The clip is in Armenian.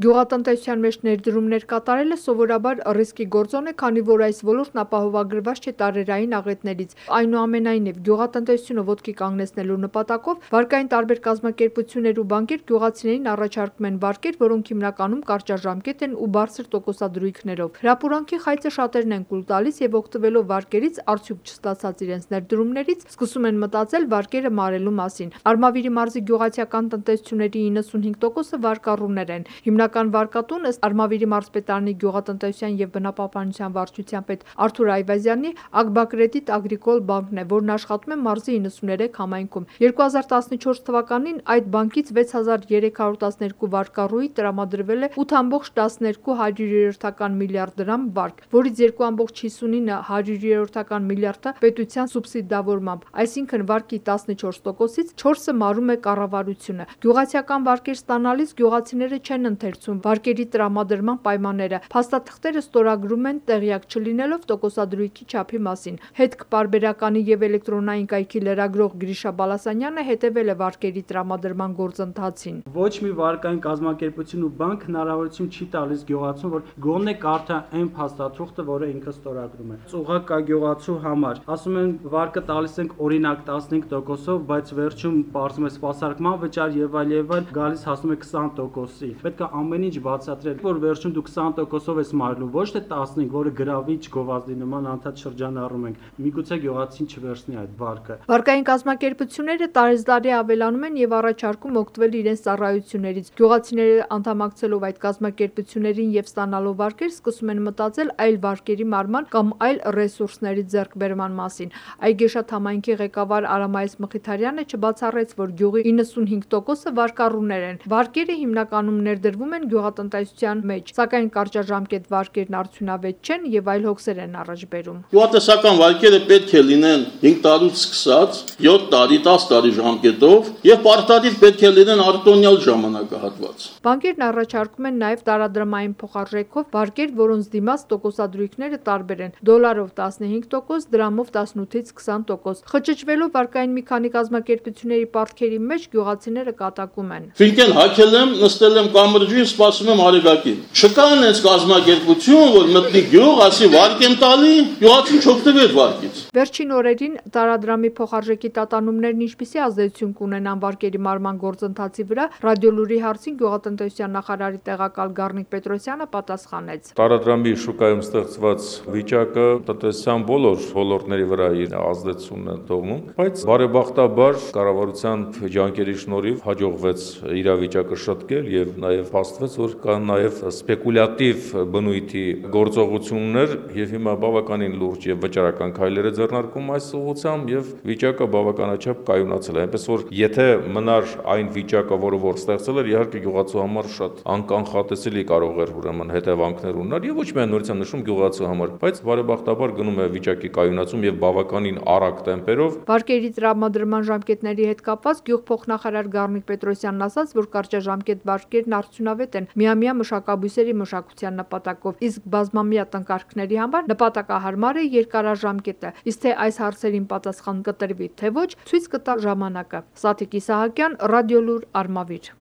Գյուղատնտեսության մեջ ներդրումներ կատարելը սովորաբար ռիսկի գործոն է, քանի որ այս ոլորտն ապահովագրված չէ տարերային աղետներից։ Այնուամենայնիվ, գյուղատնտեսությունը ոտքի կանգնեցնելու նպատակով վարկային տարբեր կազմակերպություններ ու բանկեր գյուղացիներին առաջարկում են վարկեր, որոնք հիմնականում կարճաժամկետ են ու բարձր տոկոսադրույքներով։ Հրապուրանքի խայծը շատերն են կուլ տալիս եւ օգտվելով վարկերից, արդյունք չստացած իրենց ներդրումներից, սկսում են մտածել վարկերը մարելու մասին։ Արմավիրի մարզի գյուղացիական տնտեսությունների 95%-ը վարկառուներ են։ Հիմնական վարկատուն ըստ Արմավիրի մարզպետարանի գյուղատնտեսության և բնապահպանության վարչության պետ Արթուր Այվազյանի Ագբակրեդիտ Ագրիկոլ բանկն է, որն աշխատում է մարզի 93 համայնքում։ 2014 թվականին այդ բանկից 6312 վարկառուի տրամադրվել է 8.12 միլիարդ դրամ վարկ, որից 2.59 միլիարդը պետության սուբսիդավորմամբ, այսինքն վարկի 14%-ից 4-ը մարում է կառավարությունը։ Գյուղացիական վարկեր ստանալիս գյուղացիները չեն ընթերցում վարկերի տրամադրման պայմանները, փաստաթղթերը ստորագրում են տեղյակ չլինելով տոկոսադրույքի չափի մասին։ Հետք-պարբերականի և էլեկտրոնային կայքի լրագրող Գրիշա Բալասանյանը հետևել է վարկերի տրամադրման գործընթացին։ Ոչ մի վարկային կազմակերպություն ու բանկ հնարավորություն չի տալիս գյուղացուն, որ գոնե կարդա այն փաստաթուղթը, որը ինքը ստորագրում է։ Ուղղակ կա գյուղացու համար, ասում են վարկը տալիս ենք օրինակ 15%-ով, բայց վերջում պարզվում է սպասարկման վճար եւ այլ, գալիս հասնում է 20%-ի։ Պետք է ամեն ինչ բացատրել, որ վերջում դու 20%-ով ես մարելու, ոչ թե 15, որը գրավիչ գովազդի նման անդադ շրջանառում ենք։ Միգուցե գյուղացին չվերցնի այդ վարկը։ Վարկային կազմակերպությունները տարեզդարի ավելանում են եւ առաջարկում օգտվել իրենց ծառայություններից։ Գյուղացիները անդամակցելով այդ կազմակերպություններին եւ ստանալով վարկեր, սկսում են մտածել այլ վարկերի մարման կամ այլ ռեսուրսների ձեռքբերման մասին։ Այգեշատ համայնքի ղեկավար Արամայես Մխիթարյանը չբացառեց, որ գյուղի 95%-ը վարկառուներ են։ Վարկերը հիմնականում ներդրվում են գյուղատնտեսության մեջ, սակայն կարճաժամկետ վարկերն արդյունավետ չեն եւ այլ հոգսեր են առաջ բերում։ Գյուղատնտեսական վարկերը պետք է լինեն 5 տարուց սկսած 7 տարի, 10 տարի ժամկետով եւ պարտադիր պետք է լինեն արտոնյալ ժամանակահատված։ Բանկերն առաջարկում են նաեւ տարադրամային փոխարժեքով վարկեր, որոնց դիմաց տոկոսադրույքները տարբեր են՝ դոլարով 15%, դրամով 18-ից 20%։ Խճճվելով վարկային մի քանի կազմակերպությունների պարտքերի մեջ գյուղացիները կատակում են։ Ֆինկեն հագել եմ, նստել եմ կամրջին, սպասում եմ արեգակին։ Չկա այնպես կազմակերպություն, որ մտնի գյուղ, ասի վարկ եմ տալի, գյուղացին չօգտվի այդ վարկից։ Վերջին օրերին տարադրամի փոխարժեքի տատանումներն ինչպիսի ազդեցություն կունենան վարկերի մարման գործընթացի վրա, Ռադիոլուրի հարցին գյուղատնտեսության նախարարի տեղակալ Գառնիկ Պետրոսյանը պատասխանեց։ Տարադրամի շուկայում ստեղծված վիճակը տնտեսության բոլոր ոլորտների վրա իր ազդեցությունն է թողնում, բայց բարեբախտաբար կառավարության ջանքերի շնորհիվ հաջողվեց իրավիճակը շտկել եւ նաեւ փաստվեց, որ կան նաեւ սպեկուլյատիվ բնույթի գործողություններ եւ հիմա բավականին լուրջ եւ վճարական քայլեր է ձեռնարկում այս ուղղությամբ եւ վիճակը բավականաչափ կայունացել է, այնպես որ եթե մնար այն վիճակը, որ ստեղծել էր, իհարկե գյուղացու համար շատ անկանխատեսելի կարող էր ուրեմն հետևանքներ ունենալ եւ ոչ միայն նորից նշում գյուղացու համար, բայց բարեբախտաբար գնում է վիճակի կայունացում եւ բավականին արագ տեմպերով։ Վարկերի տրամադրման ժամկետների հետ կապված գյուղփոխնախարար Գառնիկ Պետրոսյանն ասաց, որ կարճաժամկետ վարկերն արդյունավետ են միամյա մշակաբույսերի մշակության նպատակով, իսկ բազմամյա տնկարկների համար նպատակահարմար է երկարաժամկետը, իսկ թե այս հարցերին պատասխան կտրվի թե ոչ, ցույց կտա ժամանակը։ Սաթիկ Իսահակյան, Ռադիոլուր, Արմավիր։